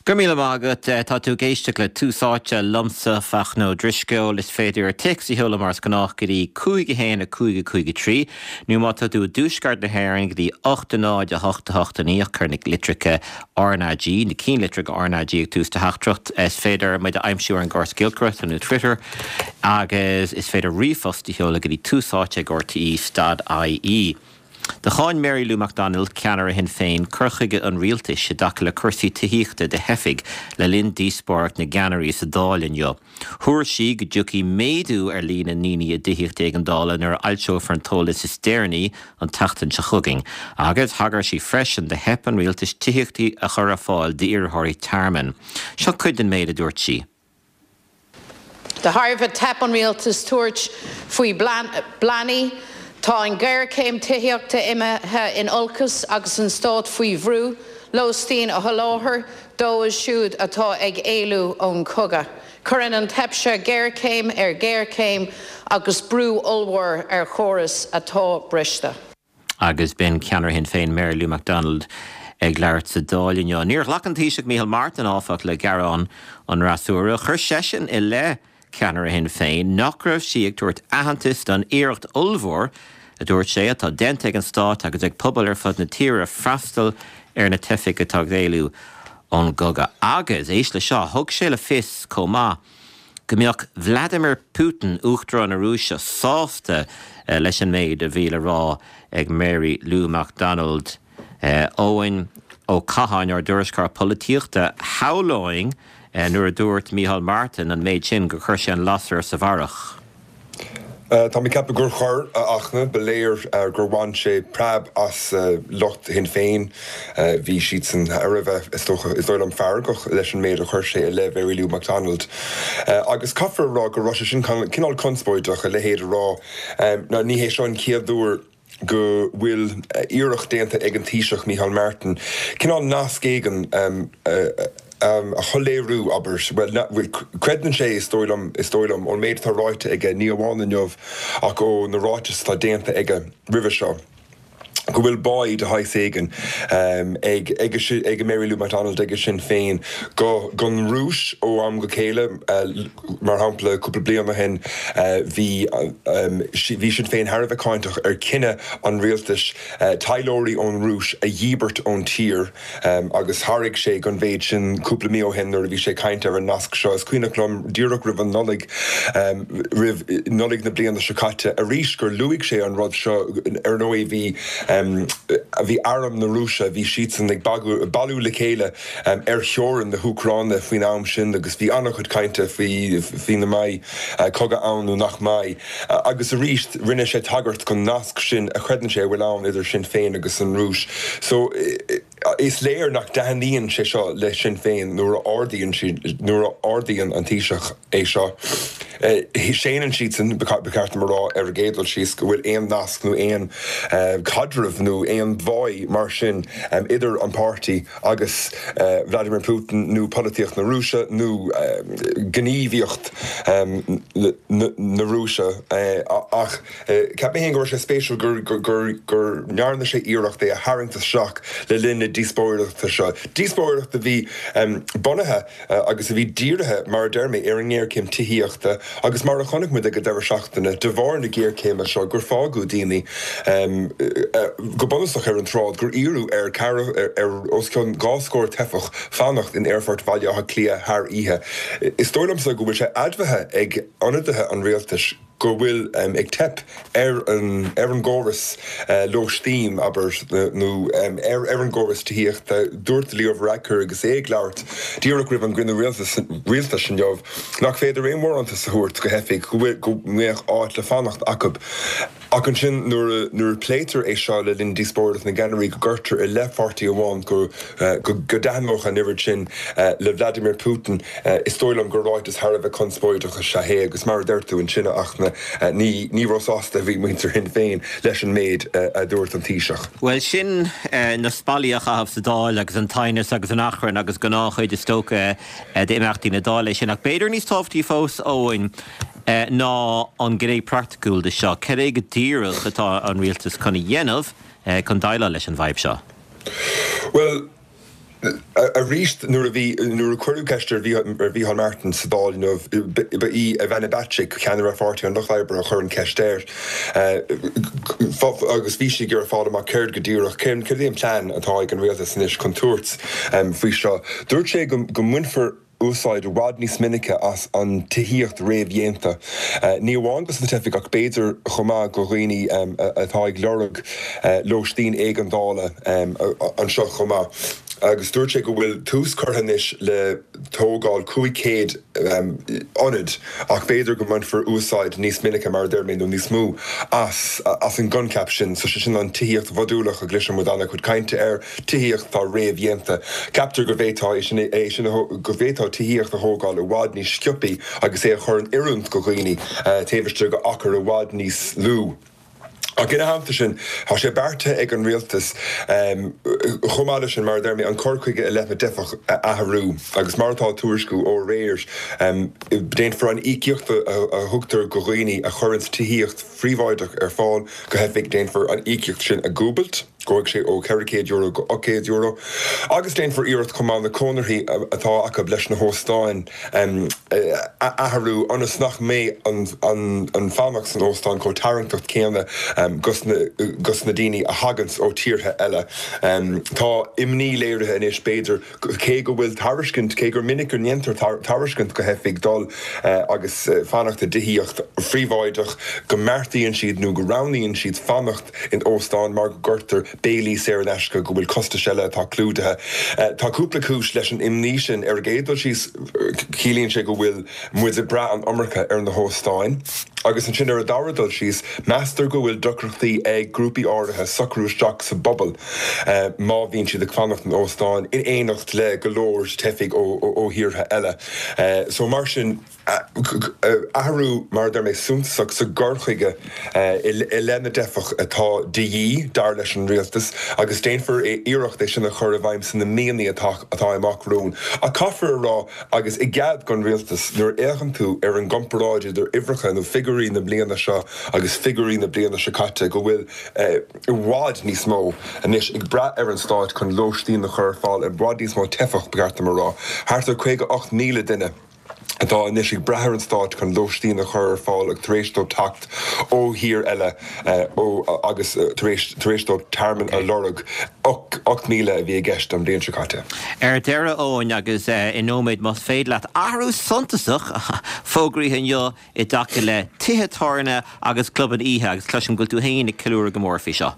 Go raibh míle maith agat. Tá tú ag éisteacht le Tús Áite liomsa, Fachtna Ó Drisceoil. Is féidir téacs a sheoladh mar is gnách go dtí 5 1 5 5 3 nó má tá tú i dtuaisceart na hÉireann go dtí 8 0 8 8 9 ach cuir na litreacha RnaG, na cinnlitreacha RnaG ag tús do theachtaireacht. Is féidir muid a aimsiú ar an gcóras giolcaireachta nó Twitter agus is féidir ríomhphost a sheoladh go dtí túsáite ag rte stad ie. Do cháin Mary Lou McDonald, ceannaire Shinn Féin, cur chuige an rialtais i dtaca le cúrsaí tithíochta do theifigh le linn díospóireacht na gceannairí sa Dáil inniu. Thuar sí go dtiocfaidh méadú ar líon na ndaoine i dtithíocht éigeandála nuair a fhoilseofar an t-eolas is deireanaí an tseachtain seo chugainn agus thagair sí freisin do theip an rialtais tithíocht a chur ar fáil d'iarrthóirí tearmainn. Seo cuid den méid a dúirt sí. De thairbhe teip an rialtais tabhairt faoi phleananna, tá an ghéarchéim tithíochta imithe in olcas agus an stát faoi bhrú lóistín a sholáthar dóibh siúd atá ag éalú ón chogadh. Cuireann an teip seo géarchéim ar ghéarchéim agus brú ollmhór ar chóras atá briste. Agus b'in ceannaire Shinn Féin Mary Lou McDonald ag labhairt sa Dáil inniu. Níor ghlac an Taoiseach Micheál Martin, áfach, le gearán an fhreasúra. Chuir seisean i leith ceannaire Shinn Féin nach raibh sí ag tabhairt aitheantais don iarracht ollmhór, a dúirt sé, atá déanta ag an stát agus ag pobail ar fud na tíre freastal ar na teifigh atá ag éalú ón gcogadh. Agus, éist le seo, thug sé le fios chomh maith, go mbeadh Vladimir Putin, Uachtarán na Rúise, sásta leis an méid a bhí le rá ag Mary Lou McDonald. Eoin Ó Catháin, ár dtuairisceoir polaitíochta, shamhlóinn nuair a dúirt Micheál Martin an méid sin gur chuir sé an lasair sa bharrach. Tá mé ag ceapadh gur chuir, a Fhachtna. Ba léir gur bhain sé preab as lucht Shinn Féin. Bhí siadsan thar a bheith, is dócha, is dóigh liom, feargach leis an méid a chuir sé i leith Mhary Lou McDonald. Agus caithfear a rá go raibh sé sin cineál conspóideach, a leithéid a rá. Ní hé seo an chéad uair go bhfuil iarracht déanta ag an Taoiseach Micheál Martin cineál nasc éigin a shoiléiriú, abair. Bhuel, creideann sé, is dóigh liom, is dóigh liom, ón méid atá ráite aige, ní amháin inniu ach ó na ráitis atá déanta aige roimhe seo, go bhfuil báí de shaghas éigin ag ag Mary Lou McDonald, ag Sinn Féin, go gon Rúis ó am go chéile. Mar shampla, cúpla bliain ó shin bhí bhí Sinn Féin thar a bheith cáinteach ar chinneadh an rialtais taidhleoirí ón Rúis a dhíbirt ón tír agus thairg sé don mhéid sin cúpla mí ó shin nuair a bhí sé ag caint ar an nasc seo. Is cuimhneach liom díreach roimh an Nollaig, roimh Nollaig na bliana seo caite arís gur luaigh sé an rud seo. Ar ndóigh bhí bhí arm na Rúise, bhí siadsan ag bailiú le chéile ar theorainn na hÚcráine faoin am sin agus bhí an-chuid cainte faoi faoina mbeidh cogadh ann nó nach mbeidh. Agus arís rinne sé tagairt don nasc sin a chreideann sé a bhfuil ann idir Sinn Féin agus an Rúis. So is léir nach dtaitníonn sé seo le Sinn Féin nuair a ardaíonn siad, nuair a ardaíonn an Taoiseach é seo. Séanann siadsan, ba cheart dom a rá ar an gcéad dul síos, go bhfuil aon nasc nó aon chaidreamh nó aon bháí mar sin idir an páirtí agus Vladimir Putin nó polaitíocht na Rúise nó gníomhaíocht na Rúise. Ach cheap mé féin go raibh sé spéisiúil go ndearna sé iarracht é a tharraingt isteach le linn na díospóireachta seo, díospóireacht a bhí bunaithe agus a bhí dírithe, mar a deir mé, ar an ngéarchéim tithíochta agus mar a chonaic muid ag an deireadh seachtaine, de bharr na géarchéime seo, gur fágadh daoine go bunúsach ar an tsráid, gur iarradh ar ar os cionn 2 scór teifeach fanacht in Aerfort Bhaile Átha Cliath thar oíche. Is dóigh liomsa go bhfuil sé admhaithe ag ionadaithe an rialtais go bhfuil ag teip ar an ar an gcóras lóistín, abair, nó ar ar an gcóras tithíochta. Dúirt Leo Varadkar agus é ag labhairt díreach roimh an gcruinniú rialtais inniu nach féidir aon bharántas a thabhairt do theifigh go bhfuil go mbeadh áit le fanacht acu. Ach ansin nuair a nuair a pléitear é seo le linn díospóireacht na gceannairí go gcuirtear i leith pháirtí amháin go go dtaitneodh an oiread sin le Vladimir Putin, is dóigh liom gur ráiteas thar a bheith conspóideach is ea é agus mar a deir tú ansin, a Fhachtna, ní ní róshásta a bhí muintir Shinn Féin leis an méid a dúirt an Taoiseach. Bhuel, sin na spallaí a chaitheamh sa Dáil agus an t-aighneas agus an achrann agus gnáthchuid is dócha d'imeachtaí na Dála é sin. Ach b'fhéidir níos tábhachtaí fós, Eoin, ná an gné praiticiúil de seo. Cad é go díreach atá an rialtas chun a dhéanamh chun déileáil leis an bhfadhb seo? Bhuel, Arís, nuair a bhí, nuair a cuireadh ceist ar Mhícheál Martin sa Dáil inniu, ba í Ivana Bacik, ceannaire Pháirtí an Lucht Oibre, a chuir an cheist air agus bhí sí ag iarraidh fáil amach céard go díreach, céard é an plean atá ag an rialtas anois chun tabhairt faoi seo. Dúirt sé go mbainfear. úsáid i bhfad níos minice as an tithíocht réamhdhéanta, ní amháin dos na teifigh ach b'fhéidir chomh maith do dhaoine atá ag lorg lóistín éigeandála anseo chomh maith. Agus dúirt sé go bhfuil tús curtha anois le tógáil 500 ionad ach b'fhéidir go mbainfear úsáid níos minice, mar a deir mé, nó níos mó as as an gcoincheap sin, so sé sin an tithíocht mhodúlach a gcloiseann muid an-chuid cainte air. Tithíocht atá réamhdhéanta. Ceaptar go bhféadfá é sin, é sin a, go bhféadfá tithíocht a thógáil i bhfad níos sciobthaí agus é a chur in oiriúint do dhaoine taobh istigh d'achar i bhfad níos lú. Ach ina theannta sin, tá sé beartaithe ag an rialtas, chomh maith leis sin, mar a deir mé, an cur chuige i leith na dteifeach a athrú agus mar atá á tuairisciú ó aréir, déanfar an íocaíocht a thugtar do dhaoine a chuireanns tithíocht phríobháideach ar fáil do theifigh, déanfar an íocaíocht sin a dhúbailt. Gabhfaidh sé ó €400 go €800 agus déanfar iarracht chomh maith na conarthaí atá acu leis na hóstáin a athrú ionas nach mbeidh an fanacht san óstán chomh tarraingteach céanna dos na daoine a thaganns ó tíortha eile. Tá imní léirithe anois, b'fhéidir, Cé go bhfuil tairiscint, cé gur minic go ndéantar tairiscint do theifigh dul agus fanacht i dtithíocht phríobháideach, go mbeartaíonn siad nó go roghnaíonn siad fanacht in óstán mar go gcuirtear béilí saor in aisce, go bhfuil costais eile atá clúdaithe. Tá cúpla cúis leis an imní sin. Ar an gcéad dul síos, ciallaíonn sé go bhfuil muid ag brath an iomarca ar na hóstáin. Agus ansin ar an dara dul síos, meastar go bhfuil deacrachtaí ag grúpaí áirithe socrú isteach sa bpobal má bhíonn siad ag fanacht in óstáin in éineacht le go leor teifigh ó thíortha eile. So mar sin, athrú, mar a deir mé, suntasach sa gcur chuige i leith na dteifeach atá de dhíth, dar leis an rialtas, agus déanfar iarracht é sin a chur i bhfeidhm sna míonna atá amach romhainn. Ach caithfear a rá, Agus i gcead don rialtas, nuair a fhéachann tú ar an gcomparáid idir uimhreacha nó figiúirí na bliana seo agus figiúirí na bliana seo caite, go bhfuil i bhfad níos mó anois ag brath ar an stát chun lóistín a chur ar fáil, i bhfad níos mó teifeach, ba cheart dom a rá, thart ar 58,000 duine atá anois ag brath ar an stát chun lóistín a chur ar fáil tar éis dóibh teacht ó thír eile ó agus tar éis tar éis dóibh tearmann a lorg. 8,000 a bhí i gceist an bhliain seo caite. Ar deireadh, Eoin, agus i nóiméad más féidir leat, athrú suntasach fógraithe inniu i dtaca le tithe tábhairne agus clubanna oíche agus cloisim go bhfuil tú féin ag ceiliúradh go mór faoi seo.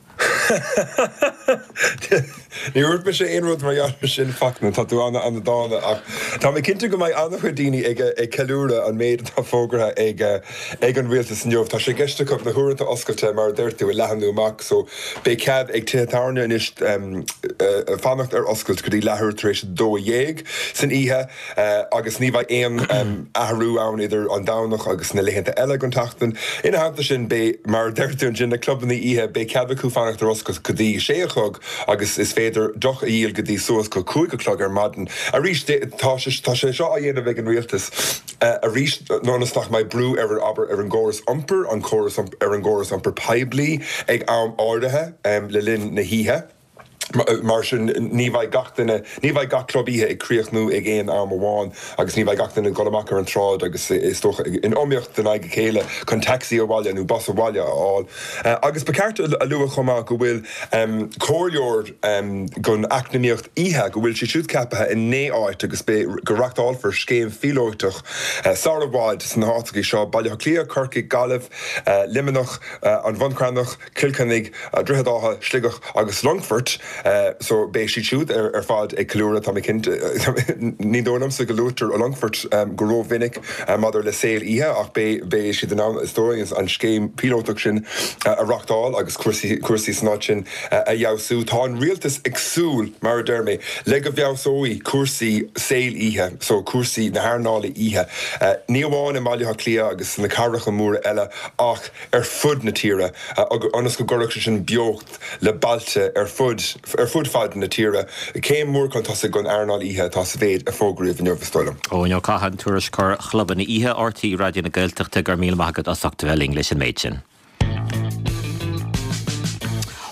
Ní dúirt mise aon rud mar gheall air sin, Fachtna, tá tú an-dána, ach tá mé cinnte go mbeidh an-chuid daoine ag ag ceiliúradh an méid atá fógartha ag ag an rialtas inniu. Tá sé i gceist acu na huaireanta oscailte, mar a deir tú, a leathnú amach so beidh cead ag tithe tábhairne anois fanacht ar oscailt go dtí leathuair tar éis a 12 san oíche. Agus ní bheidh aon athrú ann idir an Domhnach agus na laethanta eile den tseachtain. Ina theannta sin, beidh, mar a deir tú ansin, na clubanna oíche, beidh cead acu fanacht ar oscailt go dtí sé a chlog agus is féidir deoch a dhíol go dtí suas go 5 a chlog ar maidin. Arís, tá sé tá sé seo á dhéanamh ag an rialtas arís ionas nach mbeidh brú ar an, abair, ar an gcóras iompair, an córas ar an gcóras iompair poiblí ag am áirithe le linn na hoíche. Mar sin, ní bheidh gach duine, ní bheidh gach club oíche ag críochnú ag aon am amháin agus ní bheidh gach duine ag dul amach ar an tsráid agus, is dócha, in iomaíocht in aghaidh a chéile chun taxi abhaile nó bus abhaile a fháil. Agus ba cheart a lua chomh maith go bhfuil comhairleoir don eacnamaíocht oíche, go bhfuil sé siúd ceaptha i naoi áit agus beidh, go reachtáilfear scéim phíolótach sara i bhfad sna háiteacha seo, Baile Átha Cliath, Corcaigh, Gaillimh, Luimneach, An Bhun Cranncha, Cill Chainnigh, Droichead Átha, Sligeach agus Longfort so beidh siad siúd ar fad ag ceiliúradh, tá mé cinnte. Ní dóigh liomsa go luaitear Longfort go rómhinic maidir le saol oíche ach beidh siad in ann, is dóigh, an scéim phíolótach sin a reachtáil agus cúrsaí san áit sin a fheabhsú. Tá an rialtas ag súil, mar a deir mé, le go bhfeabhsóidh cúrsaí saol oíche, so cúrsaí na hearnála oíche, ní amháin i mBaile Átha Cliath agus sna cathracha móra eile ach ar fud na tíre, ionas go gcuirfeadh sé sin beocht le bailte ar fud ar fud fad na tíre. Céim mhór chun tosaigh don earnáil oíche atá sa mhéid a fógraíodh inniu, is dóigh liom. Eoin Ó Catháin, Tuairisceoir Chlubanna Oíche RTÉ Raidió na Gaeltachta, go raibh míle maith agat as ucht a bheith linn leis an méid sin.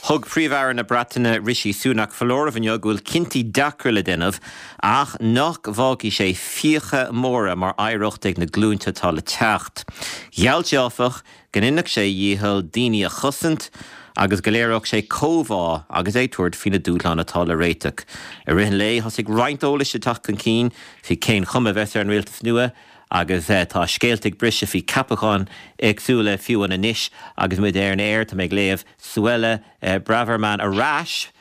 Thug Príomh-Aire na Breataine Rishi Sunak foláireamh inniu go bhfuil cinntí deacra le déanamh ach nach bhfágfaidh sé fiacha móra mar oidhreacht ag na glúinte atá le teacht. Gheall sé, áfach, go ndéanfadh sé a dhícheall daoine a chosaint agus go léireodh sé comhbhá agus é ag tabhairt faoi na dúshláin atá le réiteach. I rith an lae, thosaigh roinnt eolais ag teacht chun cinn faoi cén chuma a bheas ar an rialtas nua agus tá scéalta ag briseadh faoi ceapacháin éagsúla fiú amháin anois agus muid ar an aer. Tá mé ag léamh Suella Braverman ar ais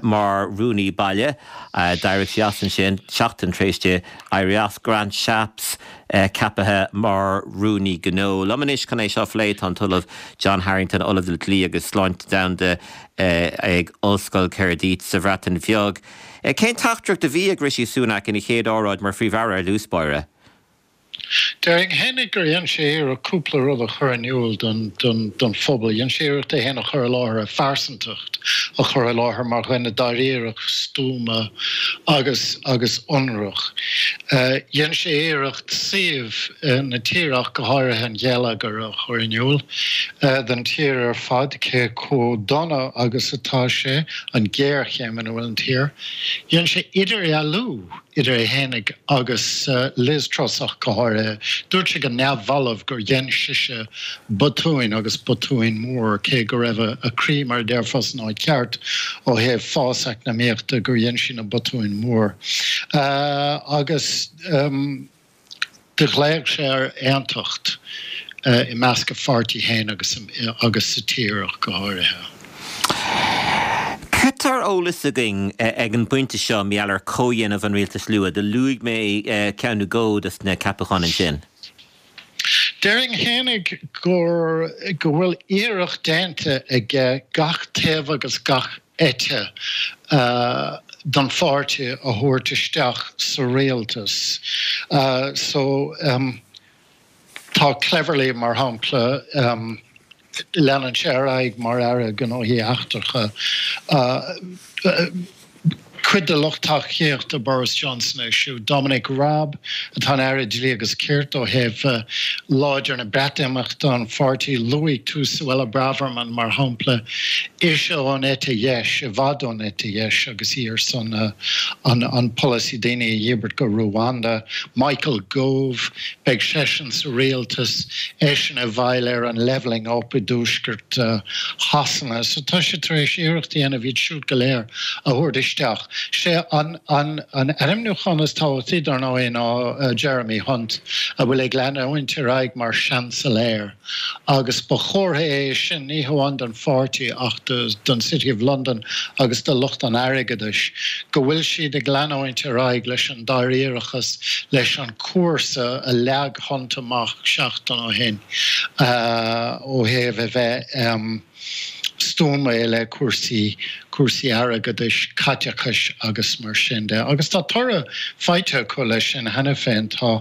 mar Rúnaí Baile. D'éirigh sí as ansin seachtain tar éis di éirí as. Grant Shapps ceaptha mar Rúnaí Gnó. Liom anois chun é seo a phlé tá an tOllamh John Harrington, Ollamh le Dlí agus Sláinte Domhanda ag Ollscoil Caerdydd sa Bhreatain Bheag. Cén teachtaireacht a bhí ag Rishi Sunak ina chéad óráid mar Phríomh-Aire ar dtús báire? Déarfainn fhéinig gur dhein sé iarracht cúpla rud a chur in iúl don phobal. Dhein sé iarracht é fhéin a chur i láthair, a phearsantacht a chur i láthair mar dhuine dáiríreach, stuama agus agus ionraic. Dhein sé iarracht suíomh na tíre ach go háirithe an gheilleagair a chur in iúl don tír ar fad, cé chomh dona agus atá sé, an ghéarchéim ina bhfuil an tír. Dhein sé idirdhealú. idir é fhéinig agus Liz Truss ach go háirithe. Dúirt sé go neamhbhalbh gur dhein sise botúin agus botúin mór, cé go raibh a croí, mar a déarfá, san áit cheart ó thaobh fás eacnamaíochta, gur dhein sí na botúin mór. Agus do ghlaoigh sé ar aontacht. i measc a pháirtí féin agus agus sa tír ach go háirithe. Cad tá ar eolas againn ag an bpointe seo mar gheall ar chomhdhéanamh an rialtais nua? Do luaigh mé ceann nó dhó dos na ceapacháin ansin. Déarfainn fhéinig gur go bhfuil iarracht déanta aige gach taobh agus gach eite den pháirtí a thabhairt isteach sa rialtas. So. Tá Cleverly, mar shampla, leanann sé ar aghaidh mar Aire Gnóthaí Eachtracha. Cuid de lucht tacaíochta Boris Johnson é siúd. Dominic Raab, atá ina Aire Dlí agus Cirt ó thaobh láidir na Breatimeachta an pháirtí. Luaigh tú Suella Braverman, mar shampla, ise ón eite dheis, i bhfad ón eite dheis agus í ar son an polasaí daoine a dhíbirt go Ruanda. Michael Gove, Beidh seisean sa rialtas, eisean i bhfeighil ar an levelling up i dtuaisceart Shasana. So tá sé tar éis iarracht a dhéanamh iad siúd go léir a thabhairt isteach. Sé an an ainmniúchán is tábhachtaí dar ndóigh ná Jeremy Hunt a bhfuil ag leanúint ar aghaidh mar Seansailéir. Agus ba chomhartha é sin ní hamháin don pháirtí ach don City of London agus do lucht an airgeadais go bhfuil siad ag leanúint ar aghaidh leis an dáiríreachas, leis an chúrsa a leag Hunt amach seachtain ó shin ó thaobh a bheith stuama i leith cúrsaí, cúrsaí airgeadais, caiteachais agus mar sin de. Agus tá toradh faighte acu leis sin cheana féin, tá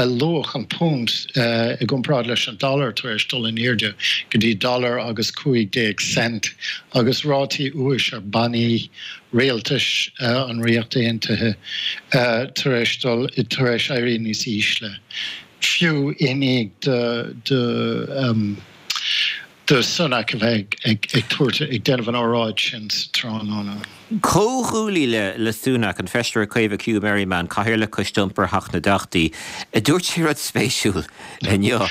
luach an púnt i gcomparáid leis an dollar tar éis dul in airde go dtí dollar agus 15 cent agus rátaí úis ar bannaí rialtais an Ríocht Aontaithe tar éis dul, tar éis éirí níos ísle, fiú i ndiaidh do do Sunak a bheith ag tabhairt, ag déanamh an óráid sin sa tráthnóna. Comhghuaillí le Sunak, an Feisire Caomhach Huw Merriman, Cathaoirleach Choiste Iompair Theach na dTeachtaí, dúirt sé rud spéisiúil inniu.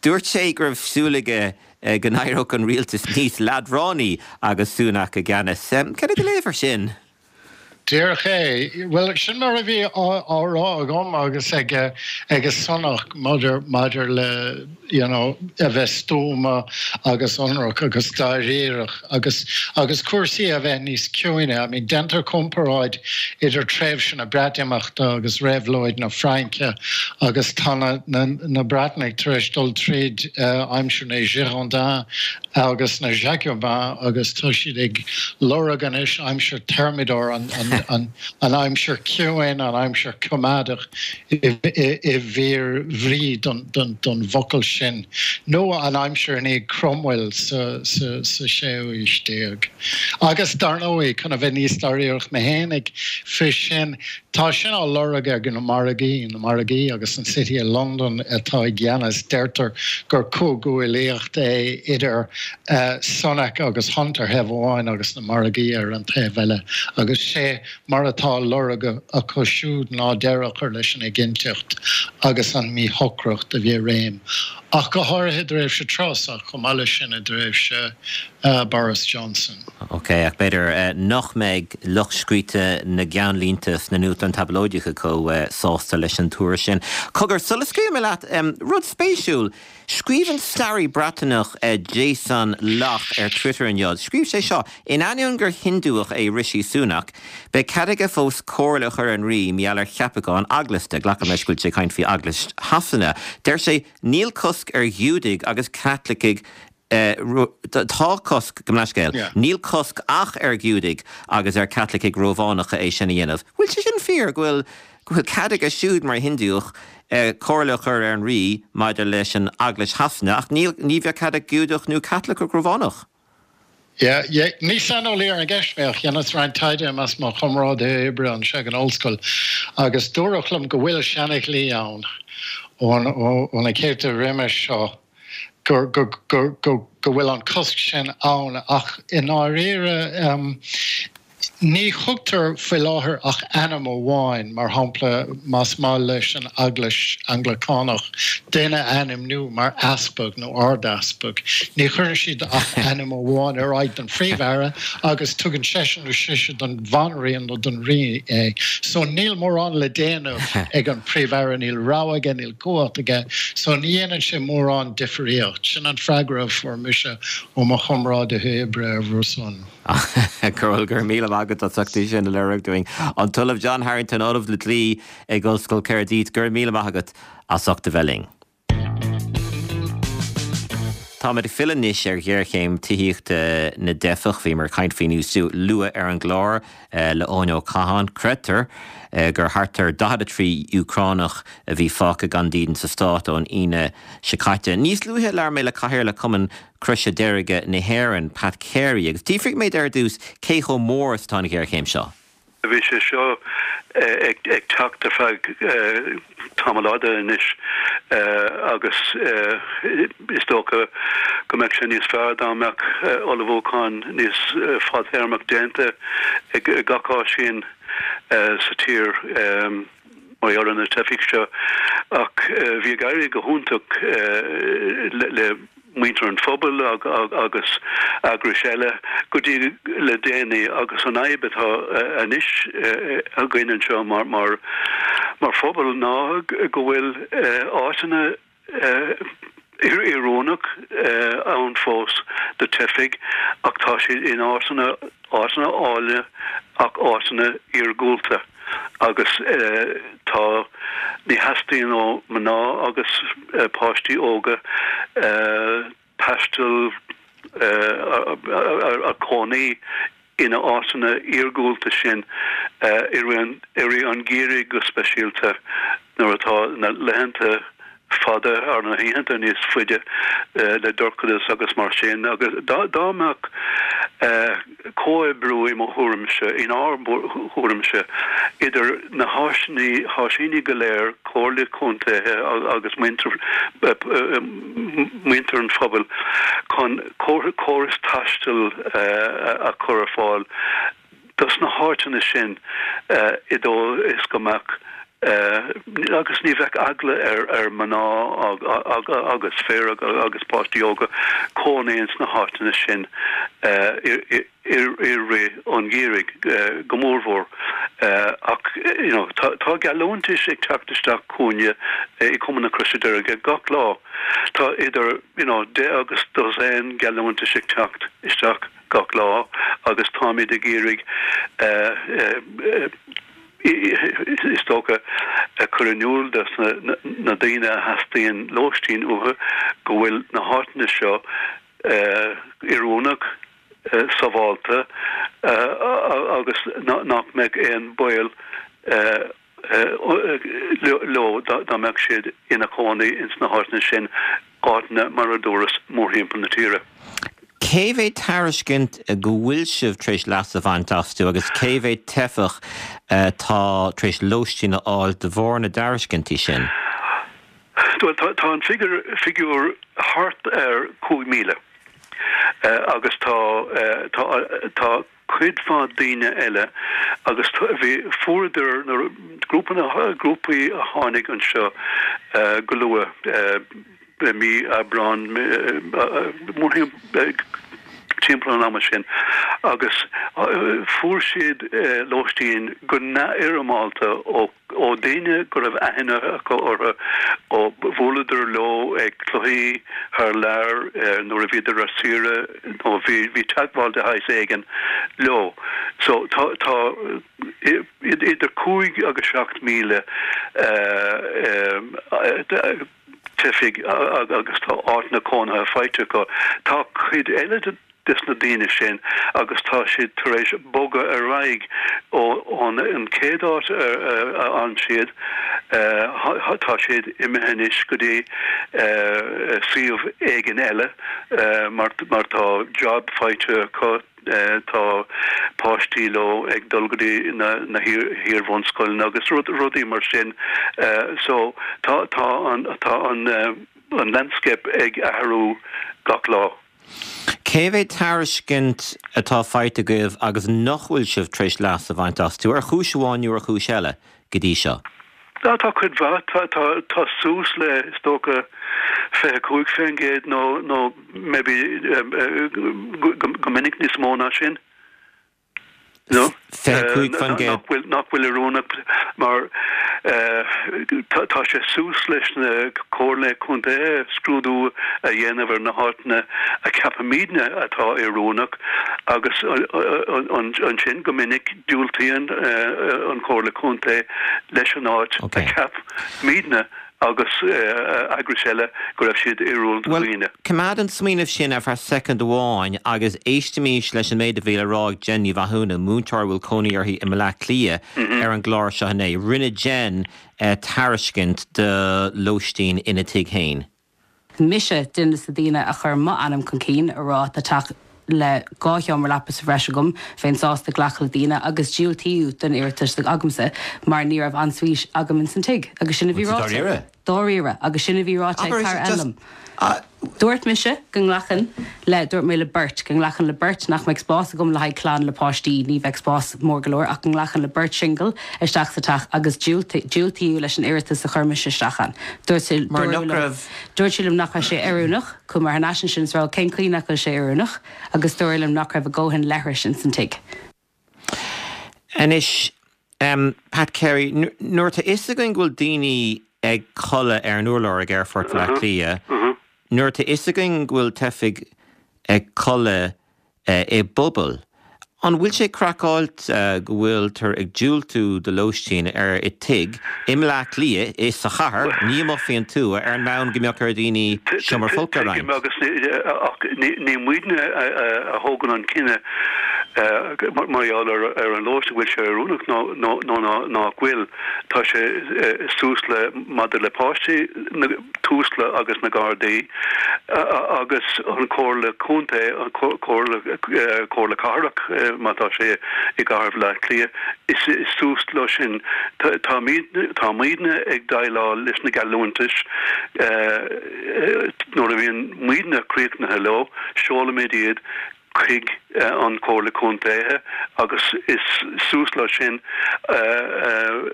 Dúirt sé go raibh súil aige go n-éireodh an rialtas níos leadránaí agus Sunak i gceannas. Cad é do léamh air sin? Díreach é. Bhuel, sin mar a bhí á rá agam agus ag Sunak maidir maidir le you know a bheith stuama agus ionraic agus dáiríreach agus agus cúrsaí a bheith níos ciúine. I mean déantar comparáid idir tréimhse na Breatimeachta agus réabhlóid na Fraince agus tá na na na Breatnaigh tar éis dul tríd aimsir na Girondins agus na Jacobins agus tá siad ag lorg anois aimsir Thermidor, an. an aimsir chiúin, an aimsir choimeádach i bhfíor-bhrí don bhfocal sin, nó an aimsir i ndiaidh Cromwell sa séú haois déag. Agus dar ndóigh, chun a bheith níos dáiríreach mé fhéinig fé sin, Tá sin á lorg ag na margaí, na margaí agus an City of London atá i gceannas. Deirtear gur comhghuaillíocht é idir Sunak agus Hunt ar thaobh amháin agus na margaí ar an taobh eile agus sé mar atá á lorg acu siúd ná deireadh a chur leis an éiginnteacht agus an mhíshocracht a bhí i réim ach go háirithe i dtréimhse Truss ach chomh maith leis sin i dtréimhse Boris Johnson. Ok, ach b'fhéidir nach mbeidh lucht scríte na gceannlínte sna nuachtáin tablóideacha chomh sásta leis an tuar sin. Cogar, sula scaoilfidh mé leat, rud spéisiúil, scríobh an staraí Breataineach Jason Lock ar Twitter inniu, scríobh sé seo, In ainneoin gur Hiondúch é Rishi Sunak, beidh cead aige fós comhairle a chur ar an Rí mar gheall ar cheapacháin eaglasta. Glacaim leis go bhfuil sé ag caint faoi Eaglais Shasana. Deir sé, Níl cosc ar Ghiúdaigh agus Caitlicigh Tá cosc, gabh mo leithscéal, níl cosc ach ar Ghiúdaigh agus ar Chaitlicigh Rómhánacha é sin a dhéanamh. Bhfuil sé sin fíor, go bhfuil, go bhfuil cead aige siúd mar Hiondúch comhairle a chur ar an Rí maidir leis an Eaglais Shasana ach níl, ní bheadh cead ag Giúdach nó Caitliceach Rómhánach? Yeah, yeah. Ní saineolaí ar an gceist mé ach dheineas roinnt taighde i measc mo chomrádaithe oibre anseo ag an ollscoil agus dúradh liom go bhfuil seana-dhlí ann ó na céadta roimis seo go bhfuil an cosc sin ann ach i ndáiríre ní thugtar faoi láthair ach ainm amháin, mar shampla más maith leis an Eaglais Anglacánach duine a ainmniú mar easpag nó ardeaspag, ní chuireann siad ach ainm amháin ar aghaidh don Phríomh-Aire agus tugann seisean nó sise don Bhanríon nó don Rí é. So níl mórán le déanamh ag an Príomh-Aire, níl rogha aige, níl cumhacht aige so ní dhéanann sé mórán difríocht. Sin an freagra a fuair mise ó mo chomrádaithe oibre ar bhur son. Go raibh míle maith agat as ucht é sin a léiriú dúinn. An tOllamh John Harrington, Ollamh le Dlí ag Ollscoil Caerdydd, go raibh míle maith agat as ucht a bheith linn. Táimid ag filleadh anois ar ghéarchéim tithíochta na dteifeach. Bhíomar ag caint faoi níos luaithe ar an gclár le Eoin Ó Catháin. Creidtear gur thart ar 43 Úcránach a bhí fágtha gan dídean sa stát ón Aoine seo caite. Níos luaithe labhair mé le Cathaoirleach Chumann Croise Deirge na hÉireann, Pat Carey, agus d'fhiafraigh mé de ar dtús cé chomh mór is atá an ghéarchéim seo. Bhí sé seo ag teacht ar feadh tamall fhada anois agus is dócha go mbeadh sé níos fearr dá mbeadh ullmhúchán níos fadtéarmach déanta ag gach áisín sa tír mar gheall ar na teifigh seo ach bhí ag éirí go hiontach le muintir an phobail agus eagrais eile go dtí le déanaí agus an fhadhb atá anois againn anseo mar mar phobal ná go bhfuil áiteanna oiriúnach ann fós do teifigh ach tá siad in áiteanna áiteanna áille ach áiteanna iargúlta agus tá ní theastaíonn ó mná agus páistí óga taisteal a cónaí ina áiteanna iargúlta sin i rith an gheimhridh go speisialta nuair atá na laethanta fada ar na hoícheanta níos faide le dorchadas agus mar sin agus dá mbeadh comhoibriú i mo thuairimse, inár dtuairimse, idir na háisíní go léir, comhairle contaetha agus muintir muintir an phobail chun córas taistil a chur ar fáil dos na háiteanna sin i dóigh is go mbeadh agus ní bheadh eagla ar mná agus fir agus páistí óga cónaí ins na háiteanna sin i rith an gheimhridh go mórmhór. Ach you know tá geallúntais ag teacht isteach chugainne i Cumann na Croise Deirge gach lá. Tá idir you know 10 agus dosaen geallúntais ag teacht isteach gach lá agus táimid ag iarraidh is dócha, cur in iúl dos na daoine a theastaíonn lóistín uathu go bhfuil na háiteanna seo oiriúnach. sábhálta agus nach mbeadh aon baol leo dá mbeadh siad ina chónaí ins na háiteanna sin, áiteanna mar a dúras mórthimpeall na tíre. Cé mhéad tairiscint go bhfuil sibh tar éis leas a bhaint astu agus cé mhéad teifeach atá tar éis lóistín a fháil de bharr na dtairiscintí sin? Bhuel, tá an figiúr thart ar 5,000 agus tá, tá, tá cuid mhaith daoine eile agus bhí, fuaireadar na grúpanna, grúpaí a tháinig anseo go luath i mí Aibreán, timpeall an ama sin agus fuair siad lóistín go neamhfhoirmeálta ó ó daoine go raibh aithne acu orthu, ó bhuaileadar leo ag cluichí thar lear nuair a bhíodar ar saoire nó bhí bhí teagmháil de shaghas éigin leo. So tá tá idir 5 agus 7,000 teifigh agus tá áiteanna cónaithe faighte acu. Tá cuid eile de des na daoine sin agus tá siad tar éis bogadh ar aghaidh ón an chéad áit a fhan siad, tá siad imithe anois go dtí suíomh éigin eile mar tá job faighte acu, tá páistí leo ag dul go dtí na hiar-bhunscoileanna agus rudaí mar sin. So tá tá an tá an an landscape ag athrú gach lá. Cé mhéad tairiscint atá faighte agaibh agus nach bhfuil sibh tar éis leas a bhaint astu, ar chúis amháin nó ar chúis eile, go dtí seo? Tá cuid mhaith. Tá suas le, is dócha, 25% nó nó maybe go minic níos mó ná sin. 25%. Nach bhfuil oiriúnach mar tá sé suas leis na Comhairle Contae scrúdú a dhéanamh ar na háiteanna a cheapaimidne atá oiriúnach agus ansin go minic diúltaíonn an Chomhairle Contae leis an áit a cheap muidne agus eagrais eile go raibh siad oiriúnach do Bhuel, dhaoine. coimeád an smaoineamh sin ar feadh soicind amháin agus éistimís leis an méid a bhí le rá ag Jen Ní Mhathúna, múinteoir a bhfuil cónaí uirthi i mBleá Cliath, ar an gclár seo inné. Rinne Jen tairiscint do lóistín ina tigh féin. Mise duine des na daoine a chuir m'ainm chun cinn a rá tá teach le 2 sheomra leapa sa bhreis agam, bheinn sásta glacadh le daoine agus diúltaíodh don iarratas agamsa mar ní raibh ensuite agam ins an tigh agus sin a bhí ráite. Dáiríre? Dáiríre agus sin a bhí ráite ag cara eile liom. Dúirt mise go nglacfainn le, dúirt mé le beirt, go nglacfainn le beirt, nach mbeadh spás agam le haghaidh clann le páistí, ní bheadh spás mór go leor, ach go nglacfainn le beirt singil isteach sa teach agus diúltaíodh leis an iarratas a chuir mise isteach ann. Dúirt sé, Mar nach raibh. Dúirt sí liom nach raibh sé oiriúnach. Chuaigh mé thar n-ais ansin is rá cén chaoi nach bhfuil sé oiriúnach agus dúradh liom nach raibh a dhóthain leithris ins an tigh. Anois, Pat Carey, nuair atá fhios againn go bhfuil daoine ag codladh ar an urlár ag Aerfort Bhaile Átha Cliath, nuair atá fhios againn go bhfuil teifigh ag codladh i bpubaill, an bhfuil sé craiceáilte go bhfuiltear ag diúltú do lóistín ar i tigh i mBleá Cliath, i sa chathair, ní amuigh faoin tuath, ar an mbonn go mbeadh ar dhaoine seomra folctha a Tuigim roinnt? agus ach ní muidne a thógann an cinneadh mar gheall ar an lóistín, an bhfuil sé oiriúnach nó nach bhfuil. Tá sé suas le maidir le páistí na Tusla agus na Gardaí agus an Chomhairle Contae, an Chomhairle Cathrach má tá sé i gCathair Bhaile Átha Cliath, is suas leo sin. Tá muidne ag déileáil leis na geallúntais. Nuair a bhíonn muidne críochnaithe leo, seolaimid iad chuig an Chomhairle Contaetha agus is suas leo sin an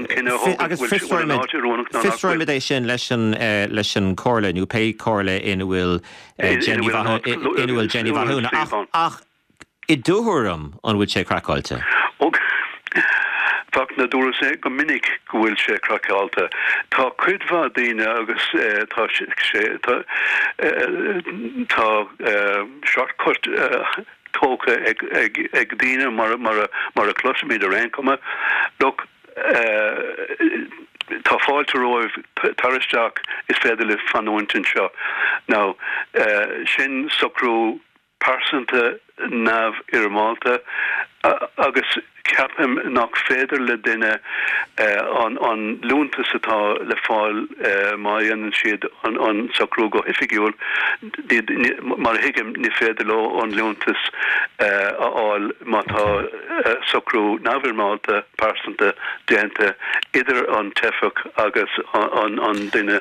cinneadh a thógaint Agus an bhfuil an áit oiriúnach nó nach bhfuil. Fiosróimid é sin leis an leis an Chomhairle nó pé comhairle ina bhfuil Jenny ina bhfuil Jenny Mhathúna ach I do thuairim, an bhfuil sé craiceáilte? Ó, Fachtna, dúras go minic go bhfuil sé craiceáilte. Tá cuid mhaith daoine agus tá sé, tá, tá shortcut tógtha ag daoine mar, mar a chloisimid ar aon chuma. Look, tá fáilte romhaibh, tar isteach, is féidir libh fanúint anseo. Now, sin socrú. pearsanta neamhfhoirmeálta agus ceapaim nach féidir le duine an liúntas atá le fáil má dhéanann siad an socrú go hoifigiúil, mar a thuigim, ní féidir leo an liúntas a fháil má tá socrú neamhfhoirmeálta pearsanta déanta idir an teifeach agus an duine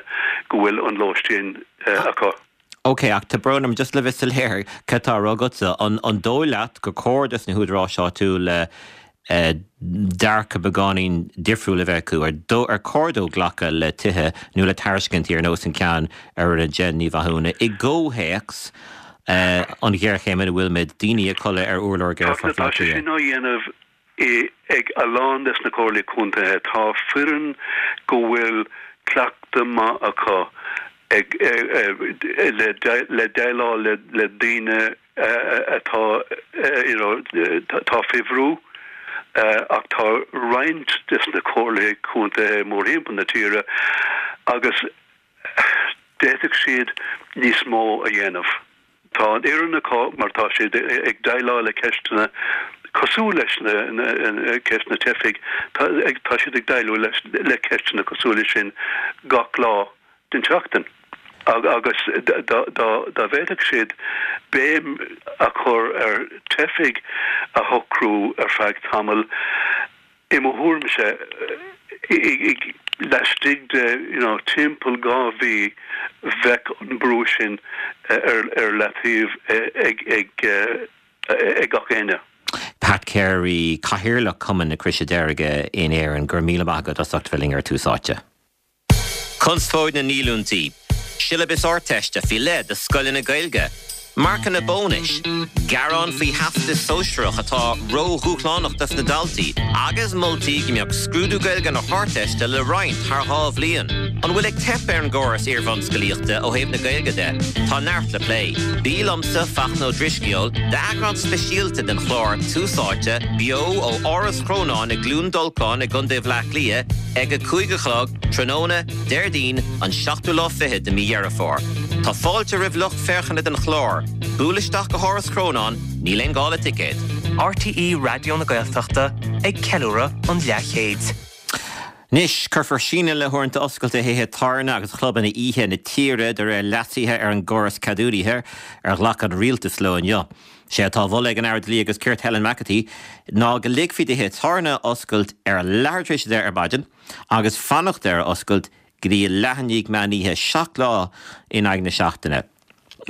go bhfuil an lóistín acu. Ok, ach tá brón orm, just le bheith soiléir, cad tá á rá agatsa? An an dóigh leat gur cóir dos na húdaráis áitiúla dearcadh beagáinín difriúil a bheith acu? Ar dó ar cóir dóibh glacadh le tithe nó le tairiscintí ar nós an ceann a rinne Jen Ní Mhathúna i gcomhthéacs an ghéarchéim ina bhfuilimid, daoine ag codladh ar urlár ag Aerfort Tá Bhaile Átha sé Cliath? sin á dhéanamh Ag a lán des na comhairlí contaetha tá foireann go bhfuil cleachtadh maith acu ag le déileáil le daoine atá you know atá faoi bhrú ach tá roinnt des na comhairlí contaetha mórthimpeall na tíre agus D'fhéadfadh siad níos mó a dhéanamh. Tá an fhoireann acu mar tá siad ag déileáil le ceisteanna cosúil leis na ceist na teifigh, tá siad ag déileáil le ceisteanna cosúil leis sin gach lá den tseachtain. Agus dá bhféadfadh siad béim a chur ar teifigh a shocrú ar feadh tamaill, I mo thuairimse, laistigh de you know timpeall 2 mhí bheadh an brú sin ar ar leataobh ag ag ag gach éinne. Pat Carey, Cathaoirleach Chumann na Croise Deirge in Éirinn, go raibh míle maith agat as ucht bheith linn ar Tús Áite. Conspóid na ndíolúintí, Siollabas Ardteiste faoi leith do scoileanna Gaeilge, marcanna bónais, gearán faoi Theastas Sóisearach atá ródhúshlánach dos na daltaí agus moltaí go mbeadh scrúdú Gaeilge na hArdteiste le roinnt thar 2 bhliain. An bhfuil ag teip ar an gcóras iarbhunscolaíochta ó thaobh na Gaeilge de? Tá neart le plé. Bí liomsa, Fachtna Ó Drisceoil, d'eagrán speisialta den chlár Tús Áite, beo ó Áras Chrónáin i gCluain Dolcáin i gContae Bhaile Átha Cliath ag 5 a chlog, Tráthnóna, Déardaoin, an seachtú lá fichead de mí Dheireadh Fómhair. Tá fáilte roimh lucht féachana den chlár. Buail isteach go hÁras Chrónáin, níl aon gá le ticéad. RTÉ Raidió na Gaeltachta ag ceiliúradh an leathchéid. Anois, cuirfear síneadh le huaireanta oscailte thithe tábhairne agus chlubanna oíche na tíre de réir leasuithe ar an gcóras ceadúnaithe ar ghlac an rialtas leo inniu. Sé atá á mholadh ag an Aire Dlí agus Cirt Helen McEntee ná go ligfí do thithe tábhairne oscailt ar leathuair tar éis a 10 ar maidin, agus fanacht ar oscailt go dtí leath i ndiaidh meán oíche, 7 lá in aghaidh na seachtaine.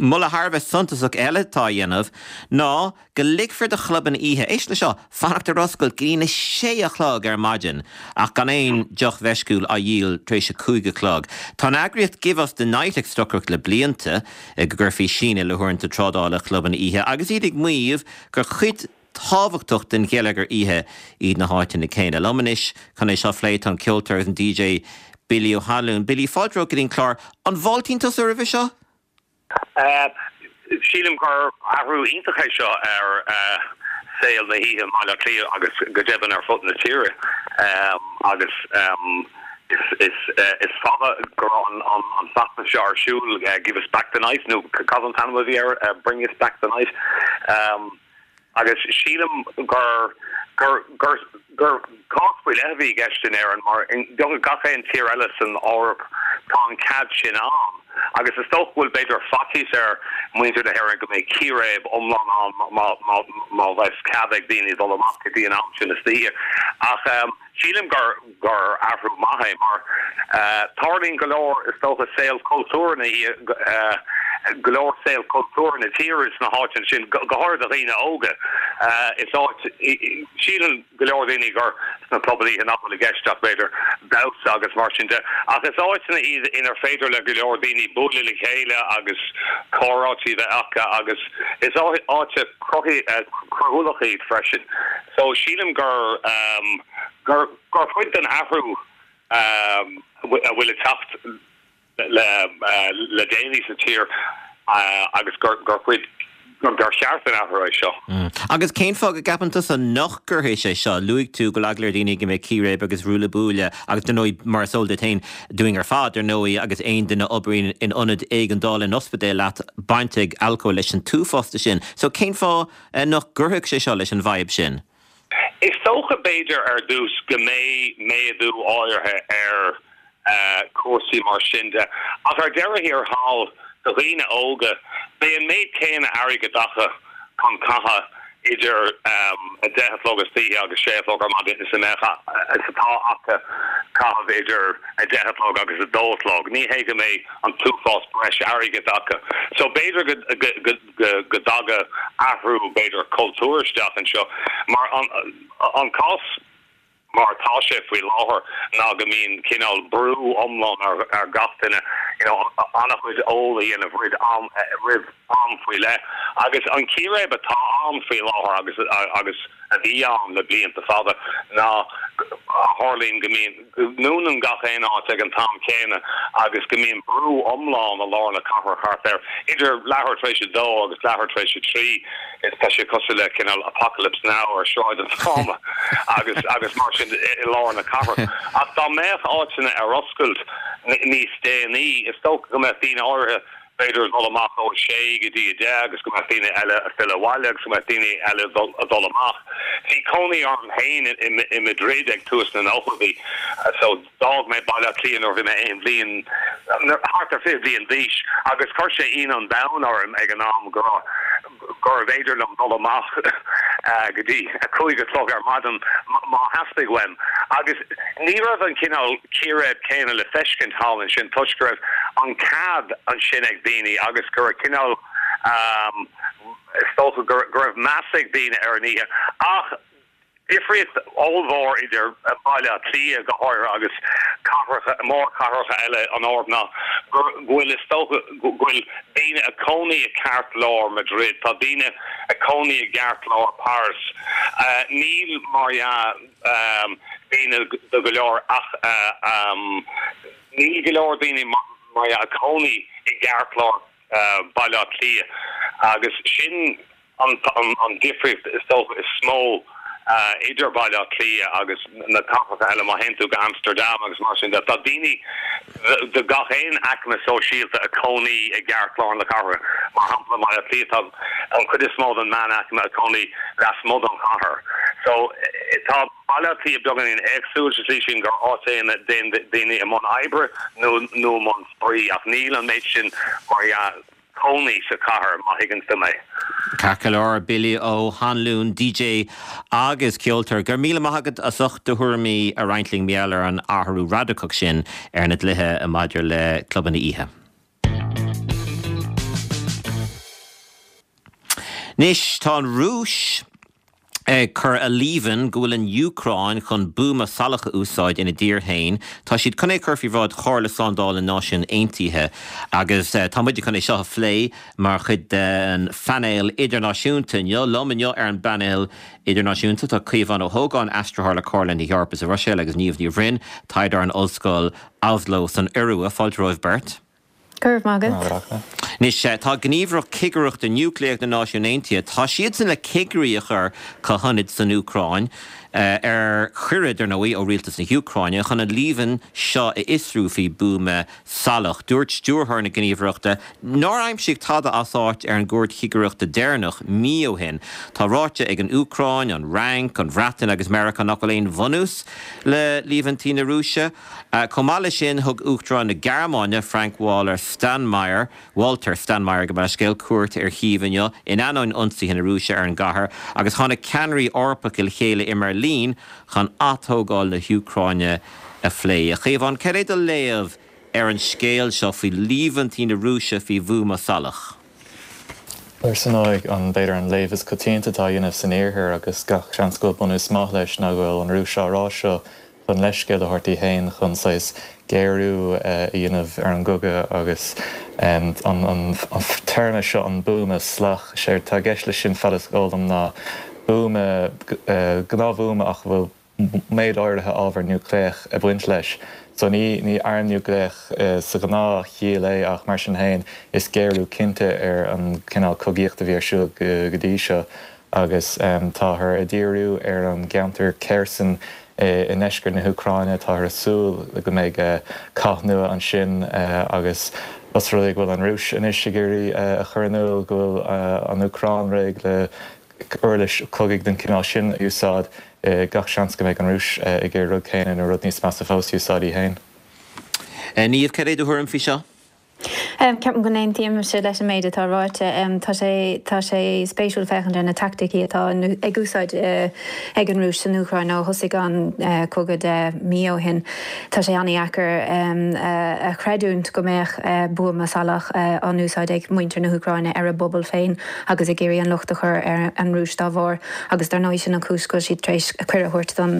Moladh thar a bheith suntasach eile atá á dhéanamh ná go ligfear do chlubanna oíche, éist le seo, fanacht ar oscailt go dtí na sé a chlog ar maidin ach gan aon deoch mheisciúil á dhíol tar éis a 5 a chlog. Tá an eagraíocht Give Us The Night ag stocaireacht le blianta go gcuirfí síneadh le huaireanta trádála chlubanna oíche agus iad ag maíomh gur cuid tábhachtach den gheilleagar oíche iad na háiteanna céanna. Liom anois chun é seo a phlé tá an ceoltóir agus an DJ Billy Ó hAnluain. Billy, fáilte romhat go dtí an clár. An bhfáiltíonn tusa roimhe seo? Sílim gur athrú iontach é seo ar saol na hoíche i mBaile Átha Cliath agus go deimhin ar fud na tíre agus is fada go raibh an feachtas seo ar siúl, Give us back the night nó cad an t-ainm a bhí air, Bring us back the night. Agus sílim gur gur gur gur cás faoi leith a bhí i gceist in Éirinn mar i beagnach gach aon tír eile san Eoraip tá an cead sin ann. Agus is dócha go bhfuil b'fhéidir faitíos ar mhuintir na hÉireann go mbeidh círéib iomlán ann má má má bheas cead ag daoine dul amach go dtí an am sin istoíche. Ach sílim gur gur athrú maith é mar tarlaíonn go leor, is dócha, saol cultúrtha na go leor saol cultúrtha na tíre sna háiteanna sin, go háirithe do dhaoine óga. Is áit, síleann go leor daoine gur sna clubanna oíche nach bhfuil i gceist ach b'fhéidir damhsa agus mar sin de, ach is áiteanna iad inar féidir le go leor daoine bualadh le chéile agus comhráití a bheith acu agus is áit cruthúlach iad freisin. So sílim gur. gur cuid den athrú a bhfuil ag teacht le déanaí sa tír agus gur cuid. gur cheart an athrú é seo. Agus cén fáth go gceapann tusa nach gcuirfidh sé seo? Luaigh tú go bhfuil eagla ar dhaoine go mbeidh círéib agus ruaille buaille agus dar ndóigh, mar is eol duit féin, dúinn ar fad, ar ndóigh, agus aon duine a oibríonn in ionad éigeandála in ospidéal leat, baint ag alcól leis an t-uafás de sin. So cén fáth nach gcuirfeadh sé seo leis an bhfadhb sin? Is dócha, b'fhéidir, ar dtús go mbeidh méadú áirithe ar chúrsaí mar sin de, ach ar deireadh thiar thall, do dhaoine óga, beidh an méid céanna airgid acu chun caitheamh idir 10 a chlog istoíche agus 6 a chlog ar maidin is a mbeadh, is atá acu caitheamh idir 10 a chlog agus 2 a chlog. Ní hé go mbeidh an t-uafás breis airgid acu. So b'fhéidir go. go dtaga athrú, b'fhéidir, cultúir isteach anseo. Mar an cás mar atá sé faoi láthair ná go mbíonn cineál brú iomlán ar gach duine, you know, an-chuid óil a dhéanamh roimh am, roimh am faoi leith. Agus an círéib atá ann faoi láthair agus agus a bhí ann le blianta fada ná a tharlaíonn go mbíonn, go ndúnann gach aon áit ag an t-am céanna agus go mbíonn brú iomlán i lár na cathrach thart ar idir leathuair tar éis a dó agus leathuair tar éis a trí. Is tá sé cosúil le cineál Apocalypse Now ar Shráid an Pháma agus agus mar sin i lár na cathrach. Ach dá mbeadh áiteanna ar oscailt níos déanaí, is dócha go mbeadh daoine áirithe b'fhéidir ag dul amach ó 6 go dtí 10 agus go mbeadh daoine eile ag filleadh abhaile agus go mbeadh daoine eile ag dul amach. Bhí cónaí orm féin i Madrid ag tús na nóchaidí so d'fhág mé Baile Átha Cliath nuair a bhí mé aon bhliain, thart ar 20 bliain d'aois agus chuir sé ionadh an domhain orm ag an am go raibh, gurbh fhéidir liom dul amach go dtí a cúig a chlog ar maidin má theastaigh uaim. Agus ní raibh an cineál círéib céanna le feiscint thall ansin toisc go raibh an cead ansin ag daoine agus go raibh cineál, is dócha go raibh meas ag daoine ar an oíche. Ach. Difríocht ollmhór idir Baile Átha Cliath, go háirithe, agus cathracha, mórchathracha eile an Eoraip ná go bhfuil, is dócha, go bhfuil daoine ag cónaí i gceartlár Madrid, tá daoine ag cónaí i gceartlár Paris. Níl, mar dhea, daoine do go leor ach níl go leor daoine, mar dhea, ag cónaí i gceartlár Baile Átha Cliath agus sin an difríocht is dócha is mó idir Baile Átha Cliath agus na cathracha eile. Má théann tú go Amsterdam agus mar sin de, tá daoine de gach aon aicme sóisialta ag cónaí i gceartlár na cathrach. Mar shampla, i mBaile Átha Cliath tá an chuid is mó den meánaicme ag cónaí lasmuigh den chathair. So tá Baile Átha Cliath beagáinín éagsúil sa tslí sin gur áit é ina dtéann daoine i mbun oibre nó i mbun spraoi ach níl an méid sin mar dhea cónaí sa chathair, má thuigeann tú mé. Ceart go leor, Billy Ó hAnluain, DJ agus ceoltóir, go raibh míle maith agat as ucht do thuairimí a roinnt linn mar gheall ar an athrú radacach sin ar na dlíthe maidir le clubanna oíche. Anois, tá an Rúis ag cur a líomhain go bhfuil an Úcráin chun buama salach a úsáid ina dtír féin. Tá siad chun é a chur faoi bhráid Chomhairle Slándála na Náisiún Aontaithe agus tá muide chun é seo a phlé mar chuid den phainéal idirnáisiúnta inniu. Liom inniu ar an bpainéal idirnáisiúnta tá Caomhán Ó hÓgáin, aistritheoir le Comhairle na hEorpa sa Bhruiséil agus Niamh Ní Bhroin, taighdeoir in Ollscoil Oslo san Iorua. Fáilte romhaibh beirt. Go raibh maith agat. Anois, tá Gníomhaireacht Cigireachta Núicléach na Náisiún Aontaithe, tá siadsan le cigirí a chur chuig hionaid san Úcráin, ar chuireadh, dar ndóigh, ó rialtas na hÚcráine, chun an líomhain seo a fhiosrú faoi buama salach. Dúirt stiúrthóir na gníomhaireachta nár aimsíodh tada as áit ar an gcuairt chigireachta deireanach, mí ó shin. Tá ráite ag an Úcráin, an Fhrainc, an Bhreatain agus Meiriceá nach bhfuil aon bhunús le líomhaintí na Rúise. Chomh maith leis sin, thug Uachtarán na Gearmáine, Frank-Walter Steinmeier, Walter Steinmeier gabh mo leithscéal, cuairt ar Chív inniu, in ainneoin ionsaithe na Rúise ar an gcathair, agus tháinig ceannairí Eorpacha le chéile i mBeirlín chun atógáil na hÚcráine a phlé. A Chaomháin, cad é do léamh ar an scéal seo faoi líomhaintí na Rúise faoi bhuama salach? Ar ndóigh, an, b'fhéidir an léamh is coitianta atá á dhéanamh san Iarthar, agus gach seans go bhfuil bunús maith leis, ná go bhfuil an Rúis á rá seo chun leithscéal a thabhairt di féin chun saghas géarú a dhéanamh ar an gcogadh agus an téarma seo, an buama salach, séard atá i gceist leis sin, fad is eol dom, ná buama, gnáthbhuama ach a bhfuil. méid áirithe ábhar núicléach ag baint leis. So ní ní arm núicléach sa ghnáth chiall é ach mar sin féin is géarú cinnte ar an cineál cogaíochta a bhí ar siúl go dtí seo agus táthar ag díriú ar an gceantar Kherson i ndeisceart na hÚcráine. Táthar ag súil go mbeidh cath nua ansin agus os rud é go bhfuil an Rúis anois ag iarraidh a chur in iúl go bhfuil an Úcráin réidh le uirlis cogaidh den chineál sin a úsáid, gach seans go mbeidh an Rúis ag iarraidh rud céanna nó rud níos measa fós a úsáid í féin. Niamh, cad é do thuairim faoi seo? Ceapaim go n-aontaímse leis an méid atá ráite. Tá sé tá sé spéisiúil féachaint ar na teaicticí atá ag úsáid ag an Rúis san Úcráin ó thosaigh an cogadh 10 mí ó shin. Tá sé an-dheacair a chreidiúint go mbeadh buama salach á n-úsáid ag muintir na hÚcráine ar a bpobal féin agus ag iarraidh an locht a chur ar an Rúis dá bharr agus dar ndóigh sin an chúis go bhfuil siad tar éis cuireadh a thabhairt don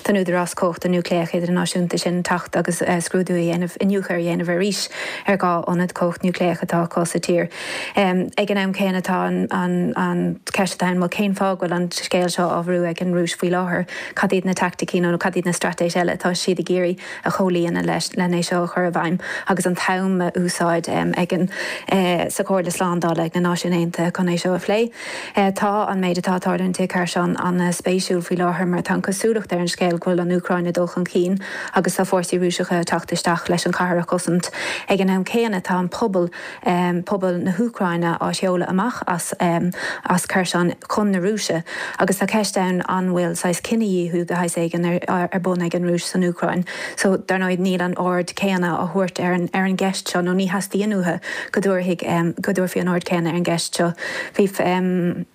don Údarás Cumhachta Núicléach Idirnáisiúnta sin teacht agus scrúdú a dhéanamh, iniúchadh a dhéanamh arís ar 2 ionad cumhacht núicléach atá acu sa tír. Ag an am céanna tá an cheist atá ann, bhuel cén fáth go bhfuil an scéal seo á bhrú ag an Rúis faoi láthair? Cad iad na teaicticí nó cad iad na straitéis eile atá siad ag iarraidh a chomhlíonadh leis len é seo a chur i bhfeidhm agus an t-am a úsáid ag an sa Chomhairle Slándála ag na Náisiúin Aontaithe chun é seo a phlé? Tá an méid atá ag tarlúint i Kherson an-spéisiúil faoi láthair mar tá an cosúlacht ar an scéal go bhfuil an Úcráin ag dul chun cinn agus tá fórsaí Rúiseacha ag teacht isteach leis an chathair a chosaint. Ag an am céanna tá an pobal, pobal na hÚcráine á sheoladh amach as as Kherson chun na Rúise agus tá ceist ann an bhfuil saghas cinedhíothú de shaghas éigin ar bun ag an Rúis san Úcráin. So, dar ndóigh, níl an aird céanna á thabhairt ar an ar an gceist seo nó ní theastaíonn uathu go dtabharfaidh go dtabharfaí an aird céanna ar an gceist seo. Bhí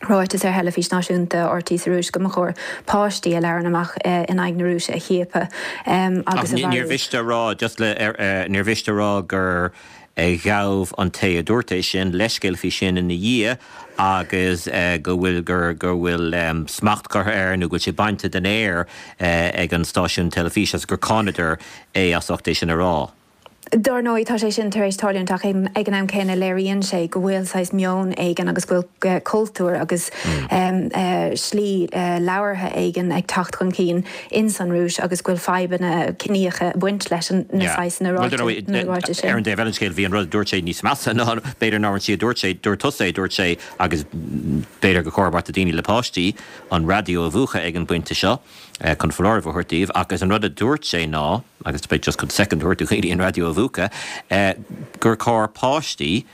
ráiteas ar theilifís náisiúnta RT sa Rúis go mba chóir páistí a labhrann amach in aghaidh na Rúise a chiapadh agus a mharú. Níor mhiste a rá, just le, níor mhiste a rá gur ghabh an té a dúirt é sin leithscéal faoi sin ina dhiaidh agus go bhfuil, gur, go bhfuil smacht curtha air nó go bhfuil sé bainte den aer ag an stáisiún teilifíse agus gur cháineadar é as ucht é sin a rá. Dar ndóigh, tá sé sin tar éis tarlúint ach ag an am céanna léiríonn sé go bhfuil saghas meon éigin agus go bhfuil cultúr agus slí labhartha éigin ag teacht chun cinn ins an Rúis agus go bhfuil fadhbanna ciníocha ag baint leis na saghsanna ráitis sin. Ar an dtaobh eile den scéal, bhí an rud a dúirt sé níos measa ná b'fhéidir ná an tslí a dúirt sé, dúirt tusa é, dúirt sé agus b'fhéidir gur chóir do dhaoine le páistí an raidió a mhúchadh ag an bpointe seo. chun foláireamh a thabhairt daoibh, agus an rud a dúirt sé ná, agus beidh just chun soicind a thabhairt do dhaoine an raidió a mhúchadh, gur chóir páistí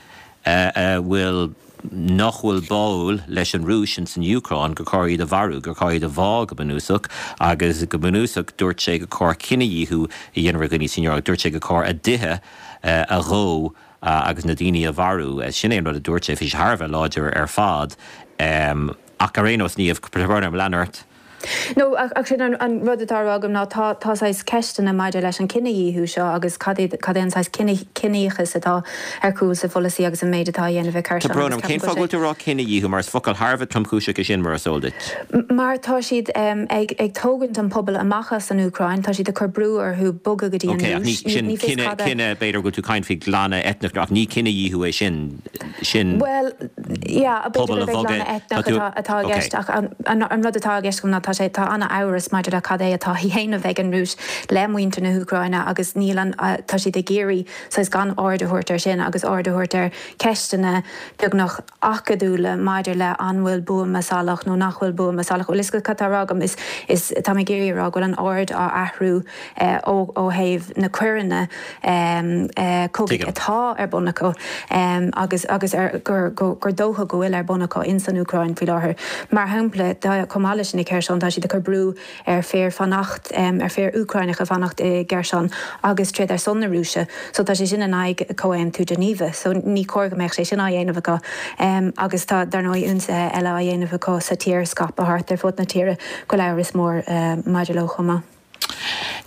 a bhfuil, nach bhfuil báúil leis an Rúis ins an Úcráin, gur chóir iad a mharú, gur chóir iad a bhá go bunúsach, agus go bunúsach dúirt sé gur chóir cinedhíothú a dhéanamh ar dhaoine san Eoraip, dúirt sé gur chóir a dtithe a dhó agus na daoine a mharú. Sin é an rud a dúirt sé, bhí sé thar a bheith láidir ar fad. Ach ar aon nós, Niamh, tá brón orm, lean ort. No, ach sin an rud atá á rá agam ná tá tá saghas ceisteanna maidir leis an cinedhíothú seo agus cad é cad é an saghas cine ciníochas atá ar chúl sa pholasaí agus an méid atá á dhéanamh ag Tá Kherson brón agus orm, cén ceapaim go fáth go bhfuil bhfuil tú ag rá cinedhíothú mar is focal thar a bheith tromchúiseach é sin mar is eol duit. Mar tá siad ag ag tógaint an pobal amach as an Úcráin, tá siad ag cur brú orthu bogadh go dtí an Ok, ach ní Rúis. Ní sin ní fios cine cad a. cine b'fhéidir go bhfuil tú ag caint faoi ghlanadh eitneach ach ní cinedhíothú é sin, sin. Bhuel, yeah, b'fhéidir pobal a gurb é bhogadh, glanadh tá eitneach tú, atá atá i ok. gceist ach an an rud atá i gceist agam ná tá sé, tá an-amhras maidir le cad é atá á dhéanamh ag an Rúis le muintir na hÚcráine agus níl an, tá siad ag iarraidh saghas gan aird a thabhairt air sin agus aird a thabhairt ar cheisteanna beagnach acadúla maidir le an bhfuil buama salach nó nach bhfuil buama salach. Bhfuil fhios agat cad tá á rá agam? Is, is, tá mé ag iarraidh a rá go bhfuil an aird á athrú ó ó thaobh na coireanna cogaidh Tuigim. atá ar bun acu agus agus ar gur gur dócha go bhfuil ar bun acu ins an Úcráin faoi láthair. Mar shampla, tá, chomh maith leis sin i Kherson, tá siad ag cur brú ar fir fanacht, ar fir Úcráineacha fanacht i gCherson agus troid ar son na Rúise. So tá sé sin in aghaidh Comhaontú Geneva. So ní cóir go mbeadh sé sin á dhéanamh acu. Agus tá, dar ndóigh, ionsaithe eile á dhéanamh acu sa tír, scaipthe thart ar fud na tíre, go bhfuil amhras mór maidir leo chomh maith.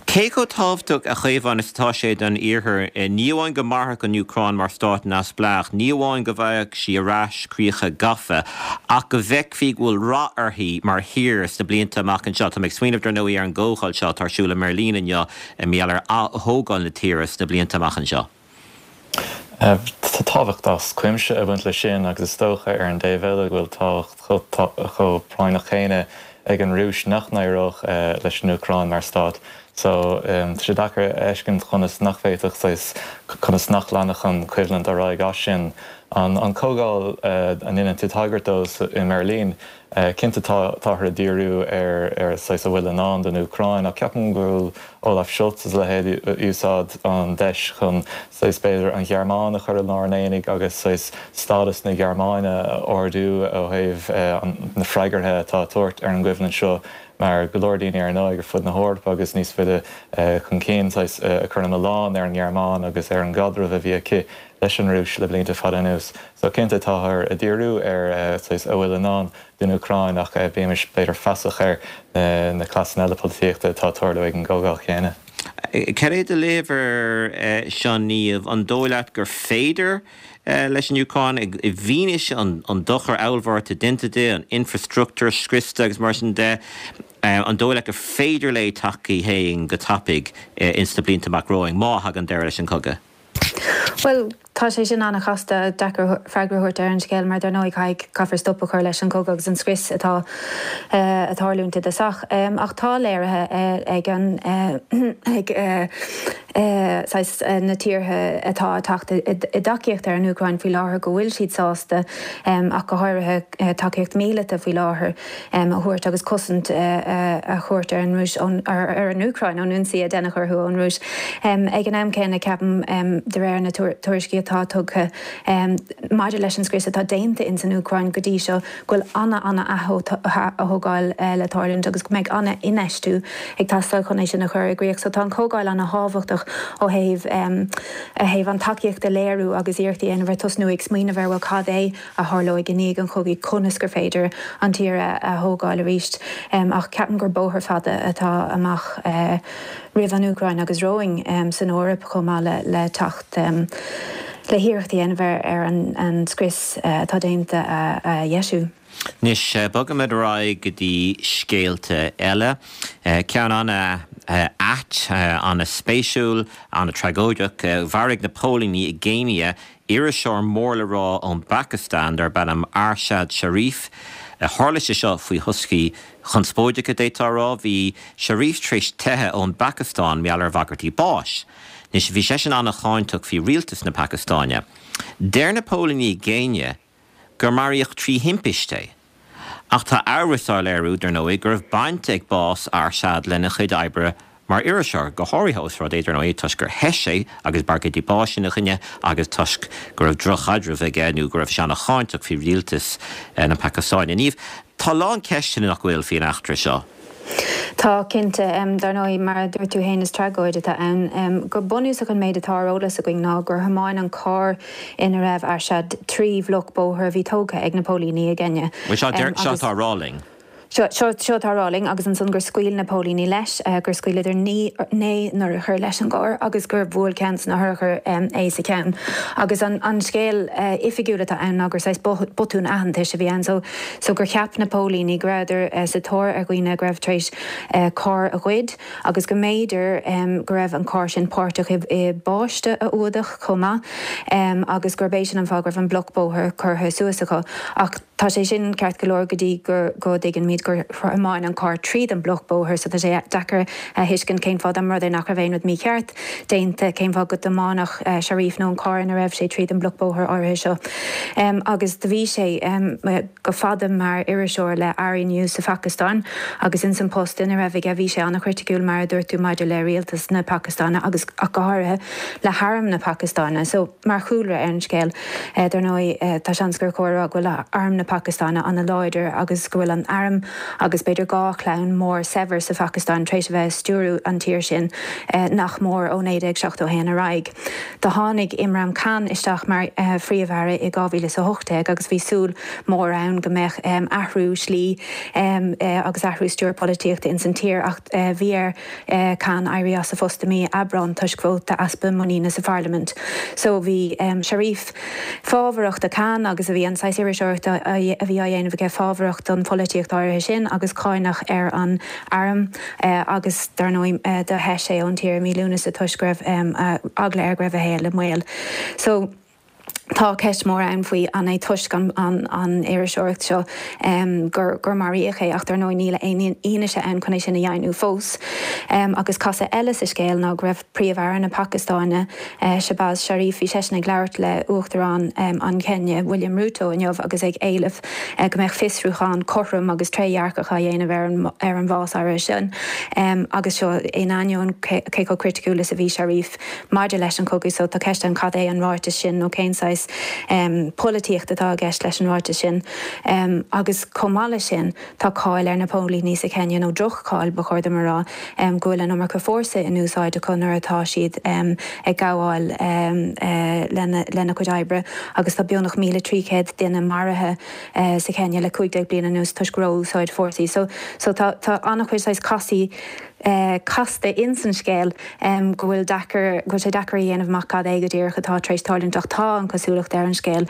Cé chomh tábhachtach, a Chaomháin, is atá sé don Iarthar, ní amháin go mairfeadh an Úcráin mar stát neamhspleách, ní amháin go bhfaigheadh sí ar ais críocha gafa, ach go bhfeicfí go bhfuil rath uirthi mar thír sna blianta amach anseo? Tá mé ag smaoineamh, dar ndóigh, ar an gcomhdháil seo atá ar siúl i mBeirlín inniu i ngeall ar ath-thógáil na tíre sna blianta amach anseo. Tá tábhacht as cuimse ag baint leis sin agus is dócha ar an dtaobh eile go bhfuil tábhacht chomh práinneach céanna. ag an Rúis nach n-éireodh leis an Úcráin mar stát. So, tá sé deacair a fheiscint conas nach bhféadfadh saghas, conas nach leanfadh an choimhlint ar aghaidh as sin. An comhdháil a ndéanann tú tagairt dó i mBeirlín, cinnte táthar ag díriú ar ar saghas a bhfuil i ndán don Úcráin ach ceapaim go bhfuil Olaf Scholz is a leithéid ag úsáid an deis chun saghas b'fhéidir an Ghearmáin a chur i lár an aonaigh agus saghas stádas na Gearmáine a ardú ó thaobh na freagartha atá á tabhairt ar an gcoimhlint seo mar go leor daoine ar ndóigh ar fud na hEorpa agus níos faide chun cinn saghas ag cur an milleán ar an nGearmáin agus ar an gcaidreamh a bhí aici leis an Rúis le blianta fada anuas. So cinnte táthar ag díriú ar saghas a bhfuil i ndán don Úcráin ach bímis b'fhéidir feasach ar na cleasanna eile polaitíochta atá ag tarlú ag an gcomhdháil chéanna. Cad é do léamh air seo Niamh? An dóigh leat gur féidir leis an Úcráin, i bhfianaise an dochar ollmhór atá déanta di, an infreastruchtúr scriosta agus mar sin de, an dóigh leat gur féidir léi teacht chuici féin go tapaidh ins na blianta amach romhainn, má thagann deireadh leis an chogadh? Bhuel, tá sé sin an-chasta, deacair freagra a thabhairt ar an scéal mar dar ndóigh caithfidh, caithfear stop a chur leis an chogadh agus an scrios atá ag tarlúint i dtosach. Ach tá léirithe ag an, ag saghas na tíortha atá ag teacht i dtacaíocht ar an Úcráin faoi láthair go bhfuil siad sásta ach go háirithe tacaíocht míleata faoi láthair. a thabhairt agus cosaint a thabhairt ar an Rúis, ar an Úcráin ón ionsaí a deineadh orthu ón Rúis. Ag an am céanna, ceapaim, de réir na tuairiscí atá tugtha maidir leis an scrios atá déanta ins an Úcráin go dtí seo, go bhfuil ana-ana-ath-thógáil le tarlúint agus go mbeidh ana-infheistiú ag teastáil chun é sin a chur i gcrích. So tá an chomhdháil ana-thábhachtach ó thaobh thaobh an tacaíocht a léiriú agus iarracht a dhéanamh ar tosnú ag smaoineamh ar bhuel cad é a tharlóidh i ndiaidh an chogaidh, conas gur féidir an tír a thógáil arís. Ach ceapaim gur bóthar fada atá amach roimh an Úcráin agus romhainn san Eoraip chomh maith le teacht le hiarracht a dhéanamh ar an scrios atá déanta a dheisiú. Anois, bogfaimid ar aghaidh go dtí scéalta eile. Ceann an-ait, an-spéisiúil, an-tragóideach. Mharaigh na póilíní i gCéinia Iriseoir mór le rá ón bPacastáin darb ainm Arshad Sharif. Tharla sé seo faoi thoscaí conspóideacha, d'fhéadfá a rá. Bhí Sharif tar éis teitheadh ón bPacastáin mar gheall ar bhagairtí báis. Anois, bhí seisean an-cháinteach faoi rialtas na Pacastáine. Deir na póilíní i gCéinia gur maraíodh trí thimpiste é. Ach tá amhras á léiriú, dar ndóigh, go raibh baint ag bás Arshad lena chuid oibre mar iriseoir, go háirithe ós rud é, dar ndóigh, toisc gur theith sé agus bagairtí báis ina choinne agus toisc go raibh droch-chaidreamh aige nó go raibh sé an-cháinteach faoi rialtas na Pacastáine. Niamh, tá a lán ceisteanna, nach bhfuil, faoin eachtra seo? Tá, cinnte. Dar ndóigh, mar a dúirt tú féin, is tragóid atá ann. Go bunúsach an méid atá ar eolas againn ná gur thiomáin an carr ina raibh Arshad trí bhloc bóthair a bhí tógtha ag na póilíní i gCeiniá. Bhuel, seo seo atá á rá linn. Seo, seo, seo atá á rá linn agus ansan gur scaoil na póilíní leis, gur scaoileadar 9 n-urchar leis an gcarr agus gur bhuail ceann de na hurchair é sa cheann. Agus an, an scéal oifigiúil atá ann ná gur saghas botún aitheantais a bhí ann. So, so gur cheap na póilíní go rabhadar sa tóir ar dhaoine go raibh tar éis carr a ghoid agus go mb'fhéidir go raibh an carr sin páirteach i bpáiste a fhuadach chomh maith agus gurb é sin an fáth go raibh an bloc bóthair curtha suas acu. Ach tá sé sin ceart go leor go dtí go go dtuigimid gur thiomáin an carr tríd an mbloc bóthair so tá sé deacair a thuiscint cén fáth dá mba rud é nach raibh aon rud mícheart déanta, cén fáth go dtiomáinfeadh Sharif nó an carr ina raibh sé tríd an mbloc bóthair áirithe seo. Agus do bhí sé go fada mar iriseoir le ARY News sa Phacastáin agus ins an post ina raibh aige bhí sé an-chriticiúil mar a dúirt tú maidir le rialtas na Pacastáine agus ach go háirithe le harm na Pacastáine. So mar chúlra ar an scéal dar ndóigh tá seans gur chóir a rá go bhfuil arm na Pacastáine an-láidir agus go bhfuil an arm agus b'fhéidir 2 chlann mór saibhir sa Phacastáin tar éis a bheith ag stiúrú an tír sin nach mór ó 1971 ar aghaidh. Do tháinig Imran Khan isteach mar Phríomh-Aire i 2018 agus bhí súil mhór ann go mbeadh athrú slí agus athrú stiúir polaitíochta ins an tír ach bhí ar Khan éirí as a phost i mí Aibreán toisc vóta easpa muiníne sa pharlaimint. So bhí Sharif fábharach do Khan agus a bhí an saghas iriseoireachta a bhí á dhéanamh aige fábharach don pholaitíocht áirithe sin agus cáineach ar an arm agus dar ndóigh do theith sé ón tír i mí Lúnasa toisc go raibh eagla air go raibh a shaol i mbaol. So. Tá ceist mhór ann faoi an é toisc an iriseoireacht seo gur maraíodh é ach dar ndóigh níl aon fhianaise ann chun é sin a dheimhniú fós. Agus casadh eile sa scéal ná go raibh Príomh-Aire na Pacastáine, Shehbaz Sharif, bhí seisean ag labhairt le Uachtarán an Chéinia, William Ruto inniu agus ag éileamh go mbeadh fiosrúchán cothrom agus trédhearcach á dhéanamh ar an bhás áirithe sin agus seo in ainneoin cé chomh criticiúil is a bhí Sharif. Maidir leis an chogadh so, tá ceist ann cad é an ráiteas sin nó cén saghas polaitíocht atá i gceist leis an ráiteas sin. Agus chomh maith leis sin, tá cáil ar na póilíní sa Chéinia, nó droch-cháil ba chóir dom a rá, go bhfuil an iomarca fórsa in úsáid acu nuair atá siad ag gabháil lena gcuid oibre agus tá beagnach 1,300 duine maraithe sa Chéinia le 15 bliain anuas toisc ró-úsáid fórsaí. So tá an-chuid saghas casaí casta ins an scéal go bhfuil deacair, go bhfuil sé deacair a dhéanamh amach cad é go díreach atá tar éis tarlúint ach tá an chosúlacht ar an scéal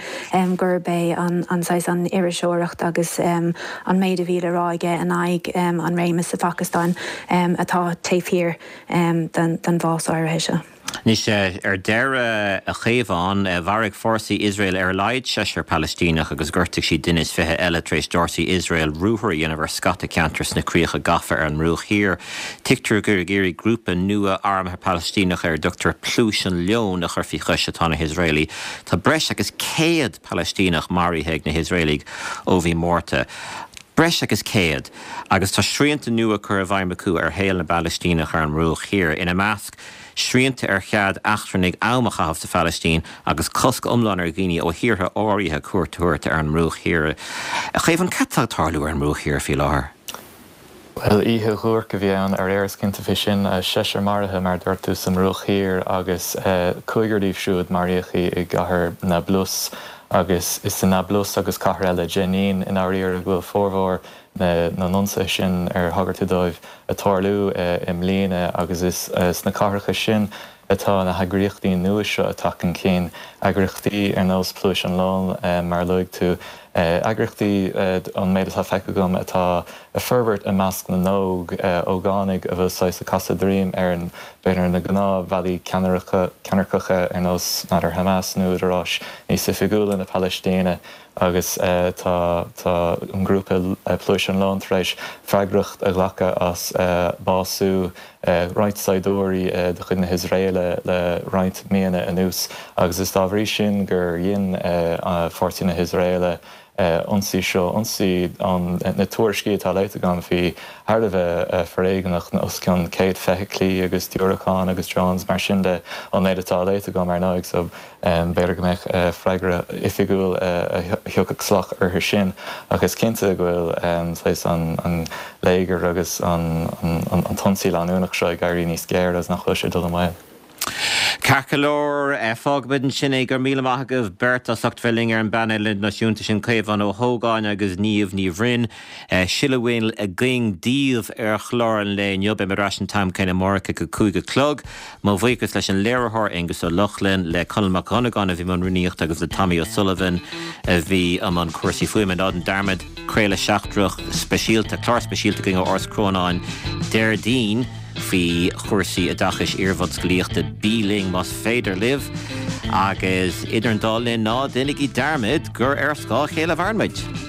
gurb é an saghas, an iriseoireacht agus an méid a bhí le rá aige in aghaidh an réimeas sa Phacastáin atá taobh thiar den bhás áirithe seo. Anois, ar deireadh, a Chaomháin, mharaigh fórsaí Iosrael ar a laghad seisear Palaistíneach agus ghortaigh siad duine is 20 eile tar éis d'fhórsaí Iosrael ruathar a dhéanamh ar scata ceantar sna críocha gafa ar an mBruach Thiar. Tuigtear gur ag iarraidh grúpa nua armtha Palaistíneach ar a dtugtar Pluais an Leoin a chur faoi chois atá na hIosraelaigh. Tá breis agus 100 Palaistíneach maraithe ag na hIosraelaigh ó mhí Márta. Breis agus 100. Agus tá srianta nua curtha i bhfeidhm acu ar shaol na bPalaistíneach ar an mBruach Thiar, ina measc, srianta ar chead eachtrannaigh am a chaitheamh sa Phalaistín agus cosc iomlán ar dhaoine ó thíortha áirithe cuairt a thabhairt ar an mBruach Thiar. A Chaomháin, cad tá ag tarlú ar an mBruach Thiar faoi láthair? Bhuel, oíche dhuairc a bhí ann aréir, is cinnte fé sin. Seisear maraithe, mar a dúirt tú, sa mBruach Thiar agus cúigear díobh siúd maraíodh i gcathair Nablus. Agus is i Nablus agus cathair eile, Jenin, i ndáiríre, go bhfuil formhór na n-ionsaithe sin ar thagair tú dóibh ag tarlú i mbliana agus is sna cathracha sin atá na heagraíochtaí nua seo ag teacht chun cinn, eagraíochtaí ar nós Pluais an Leoin, mar a luaigh tú, eagraíochtaí, ón méid atá feicthe agam, atá ag forbairt i measc na n-óg, ógánaigh a bhfuil saghas ag casadh droim ar, b'fhéidir, na gnáthbhealaí ceannairceacha ar nós, n'fheadar, Hamas nó údaráis níos oifigiúla na Palaistíne. Agus tá tá an grúpa Pluais an Leoin tar éis freagracht a ghlacadh as bású roinnt saighdiúirí de chuid na hIosraeile le roinnt míonna anuas agus is dá bhrí sin gur dhein fórsaí na hIosraeile ionsaí seo, ionsaí ón na tuairiscí atá léite agam bhí thar a bheith foréigneach, os cionn 100 feithiclí agus diúracáin agus drones mar sin de ón méid atá léite agam ar ndóigh so B'fhéidir go mbeadh freagra oifigiúil a thiocfadh salach orthu sin, ach is cinnte go bhfuil saghas an léigear agus an t-ionsaí leanúnach seo ag éirí níos géire agus nach bhfuil sé ag dul i maol. Ceart go leor, fágfaimid ansin é. Go raibh míle maith agaibh beirt as ucht bheith linn ar an bpainéal idirnáisiúnta sin, Caomhán Ó hÓgáin agus Niamh Ní Bhroin. Sin a bhfuil againn daoibh ar chlár an lae inniu. Beidh mé ar ais an t-am céanna amárach ag a 5 a chlog. Mo bhuíochas leis an léiritheoir Aengus Ó Lochlainn, le Conall Mac Dhonnagáin a bhí i mbun rúnaíochta agus le Tommy O'Sullivan a bhí i mbun cúrsaí fuaime. Ná déan dearmad, craoladh seachtrach speisialta, clár speisialta againn ó Áras Chrónáin Déardaoin faoi chúrsaí oideachais iarbhunscolaíochta. Bí linn más féidir libh agus idir an dá linn ná déanaigí dearmad gur ar scáth a chéile a mhaireann muid.